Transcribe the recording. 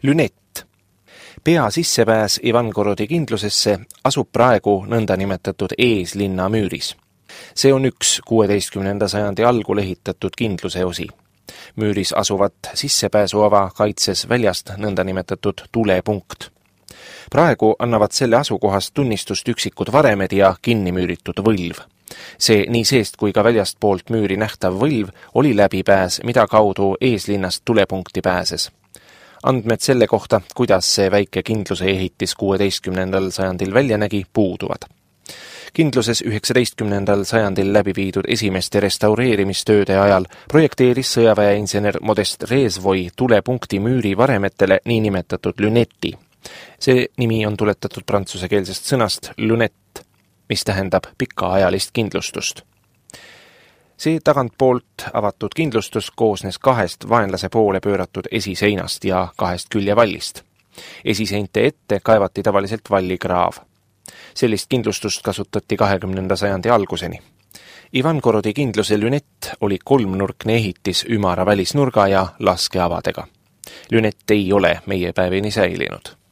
Lünett. Pea sissepääs Ivangorodi kindlusesse asub praegu nõndanimetatud eeslinna müüris. See on üks 16. sajandi algul ehitatud kindluse osi. Müüris asuvat sissepääsuava kaitses väljast nõndanimetatud tulepunkt. Praegu annavad selle asukohast tunnistust üksikud varemed ja kinnimüüritud võlv. See nii seest kui ka väljastpoolt müüri nähtav võlv oli läbipääs, mida kaudu eeslinnast tulepunkti pääses. Andmed selle kohta, kuidas see väike kindluse ehitis 16. sajandil välja nägi, puuduvad. Kindluses 19. sajandil läbi viidud esimeste restaureerimistööde ajal projekteeris sõjaväeinsener Modest Reesvoi tulepunkti müüri varemetele niinimetatud lünetti. See nimi on tuletatud prantsusekeelsest sõnast lunette, mis tähendab pikaajalist kindlustust. See tagantpoolt avatud kindlustus koosnes 2 vaenlase poole pööratud esiseinast ja 2 küljevallist. Esiseinte ette kaevati tavaliselt vallikraav. Sellist kindlustust kasutati 20. sajandi alguseni. Ivangorodi kindluse lünett oli 3-nurkne ehitis ümara välisnurga ja laskeavadega. Lünett ei ole meie päevini säilinud.